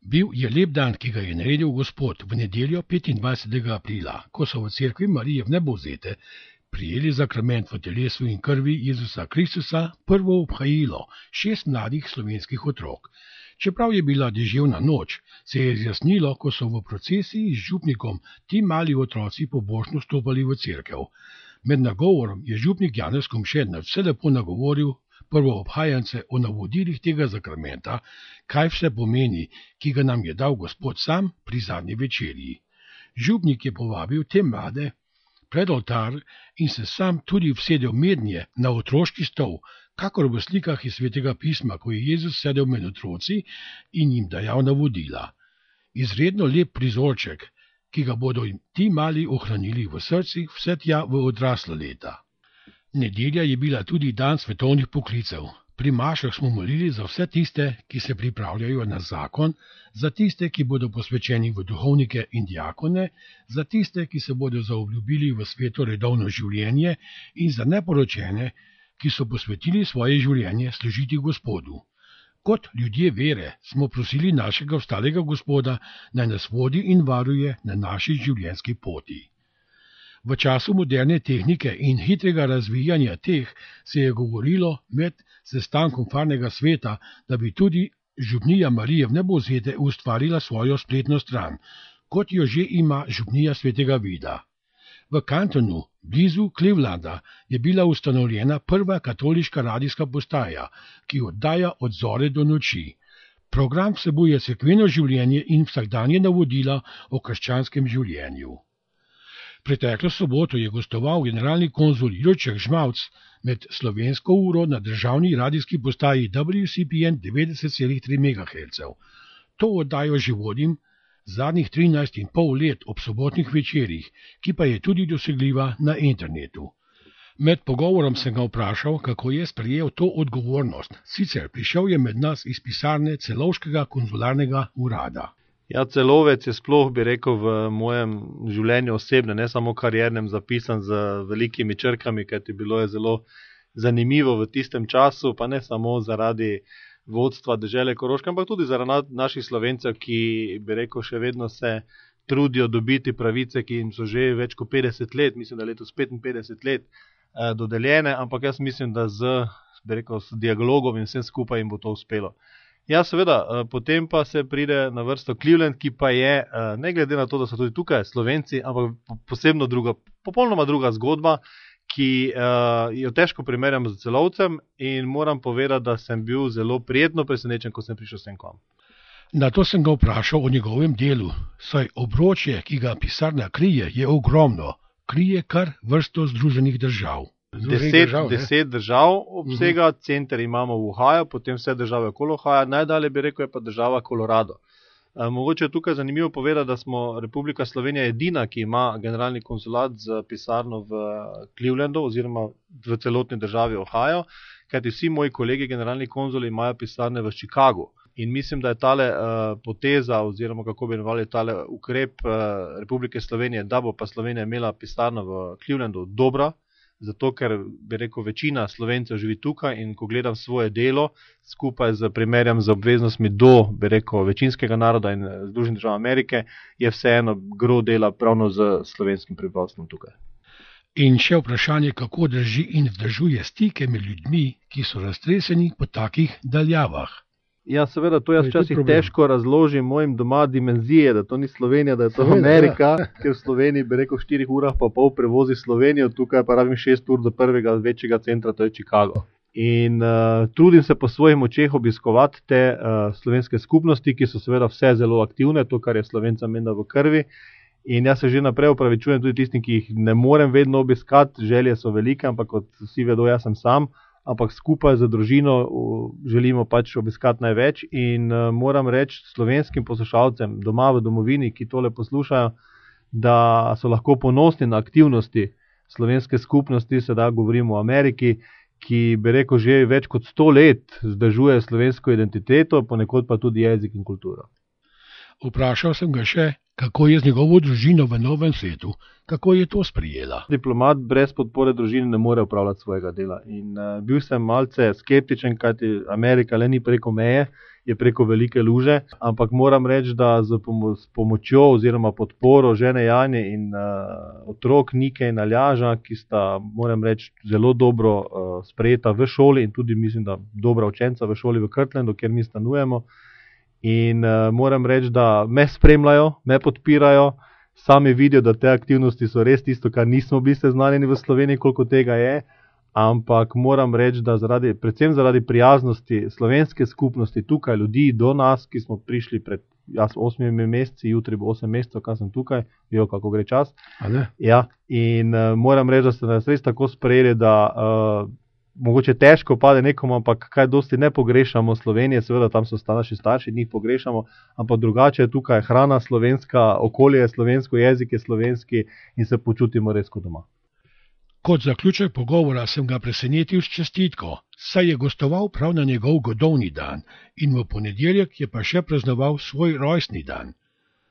Bil je lep dan, ki ga je naredil Gospod v nedeljo 25. aprila, ko so v cerkvi Marije Vnebovzete prijeli zakrament v telesu in krvi Jezusa Kristusa prvo obhajilo 6 mladih slovenskih otrok. Čeprav je bila deževna noč, se je izjasnilo, ko so v procesiji z župnikom ti mali otroci pobožno stopali v cerkev. Med nagovorom je župnik Janez Komše vse lepo nagovoril prvoobhajance o navodilih tega zakramenta, kaj vse pomeni, ki ga nam je dal Gospod sam pri zadnji večerji. Župnik je povabil te mlade pred oltar in se sam tudi usedel mednje na otroški stol, kakor v slikah iz Svetega pisma, ko je Jezus sedel med otroci in jim dajal navodila. Izredno lep prizorček, ki ga bodo ti mali ohranili v srcih vse tja v odrasla leta. Nedelja je bila tudi dan svetovnih poklicev. Pri mašah smo molili za vse tiste, ki se pripravljajo na zakon, za tiste, ki bodo posvečeni v duhovnike in diakone, za tiste, ki se bodo zaobljubili v sveto redovno življenje in za neporočene, ki so posvetili svoje življenje služiti Gospodu. Kot ljudje vere smo prosili našega ostalega Gospoda, naj nas vodi in varuje na naši življenjski poti. V času moderne tehnike in hitrega razvijanja teh se je govorilo med sestankom Farnega sveta, da bi tudi župnija Marije Vnebovzete ustvarila svojo spletno stran, kot jo že ima župnija Svetega Vida. V Cantonu, blizu Clevelanda, je bila ustanovljena prva katoliška radijska postaja, ki oddaja od zore do noči. Program vsebuje cerkveno življenje in vsakdanje navodila o krščanskem življenju. Preteklo soboto je gostoval generalni konzul Jurček Žmavc med slovensko uro na državni radijski postaji WCPN 90,3 MHz. To oddajo že vodim zadnjih 13,5 let ob sobotnih večerjih, ki pa je tudi dosegljiva na internetu. Med pogovorom sem ga vprašal, kako je sprejel to odgovornost. Sicer prišel je med nas iz pisarne Celovškega konzularnega urada. Ja, Celovec je sploh, bi rekel, v mojem življenju osebno, ne samo kariernem, zapisan z velikimi črkami, kajti bilo je zelo zanimivo v tistem času, pa ne samo zaradi vodstva dežele Koroške, ampak tudi zaradi naših Slovencev, ki, bi rekel, še vedno se trudijo dobiti pravice, ki jim so že več kot 50 let, mislim, da letos 55 let dodeljene, ampak jaz mislim, da bi rekel, s dialogom in vsem skupaj jim bo to uspelo. Ja, seveda, potem pa se pride na vrsto Cleveland, ki pa je, ne glede na to, da so tudi tukaj Slovenci, ampak posebno druga, popolnoma druga zgodba, ki jo težko primerjam z Celovcem in moram povedati, da sem bil zelo prijetno presenečen, ko sem prišel sem k vam. Na to sem ga vprašal o njegovem delu, saj obročje, ki ga pisarna krije, je ogromno, krije kar vrsto združenih držav. 10 držav obsega, center imamo v Ohio, potem vse države okoli Ohio, najdalje bi rekel je pa država Colorado. Mogoče je tukaj zanimivo povedati, da smo Republika Slovenija edina, ki ima generalni konzulat z pisarno v Clevelandu oziroma v celotni državi Ohio, kajti vsi moji kolegi generalni konzuli imajo pisarne v Chicagu. In mislim, da je tale poteza oziroma kako bi imenovali tale ukrep Republike Slovenije, da bo pa Slovenija imela pisarno v Clevelandu dobra, zato ker, bi rekel, večina Slovencev živi tukaj in ko gledam svoje delo, skupaj primerjam z obveznostmi do, bi rekel, večinskega naroda in Združenih držav Amerike, je vseeno gro dela pravno z slovenskim prebivalstvom tukaj. In še vprašanje, kako drži in vzdržuje stike med ljudmi, ki so raztreseni po takih daljavah. Ja, seveda, to jaz včasih težko razložim mojim doma dimenzije, da to ni Slovenija, da je to Amerika, ker v Sloveniji, bi rekel, 4 urah pa pol prevozi Slovenijo, tukaj pa rabim 6 ur do prvega večjega centra, to je Chicago. In trudim se po svojih močeh obiskovati te slovenske skupnosti, ki so seveda vse zelo aktivne, to, kar je Slovencem menda v krvi. In jaz se že naprej opravičujem tudi tistim, ki jih ne morem vedno obiskati, želje so velike, ampak kot vsi vedo, jaz sem sam. Ampak skupaj z družino želimo pač obiskati največ in moram reči slovenskim poslušalcem doma v domovini, ki tole poslušajo, da so lahko ponosni na aktivnosti slovenske skupnosti, sedaj govorimo o Ameriki, ki bi rekel že več kot 100 let vzdržuje slovensko identiteto, ponekod pa tudi jezik in kulturo. Vprašal sem ga še, kako je z njegovo družino v novem svetu, kako je to sprijela. Diplomat brez podpore družine ne more upravljati svojega dela in bil sem malce skeptičen, kajti Amerika le ni preko meje je preko velike luže, ampak moram reči, da s pomočjo oziroma podporo žene Janje in otrok Nike in Aljaža, ki sta, moram reči, zelo dobro sprejeta v šoli in tudi mislim, da dobra učenca v šoli v Kirtlandu, kjer mi stanujemo. In moram reči, da me spremljajo, me podpirajo, sami vidijo, da te aktivnosti so res tisto, kar nismo bili seznanjeni v Sloveniji, koliko tega je. Ampak moram reči, da predvsem zaradi prijaznosti slovenske skupnosti tukaj, ljudi do nas, ki smo prišli pred 8 meseci, jutri bo 8 mesecev, kaj sem tukaj, vijo, kako gre čas. Ja, in moram reči, da ste nas res tako sprejeli, da mogoče težko pade nekomu, ampak kaj dosti ne pogrešamo Slovenije, seveda tam so naši starši, njih pogrešamo, ampak drugače je tukaj hrana slovenska, okolje je slovensko, jezik je slovenski in se počutimo res kot doma. Kot zaključek pogovora sem ga presenetil s čestitko, saj je gostoval prav na njegov godovni dan in v ponedeljek je pa še praznoval svoj rojstni dan.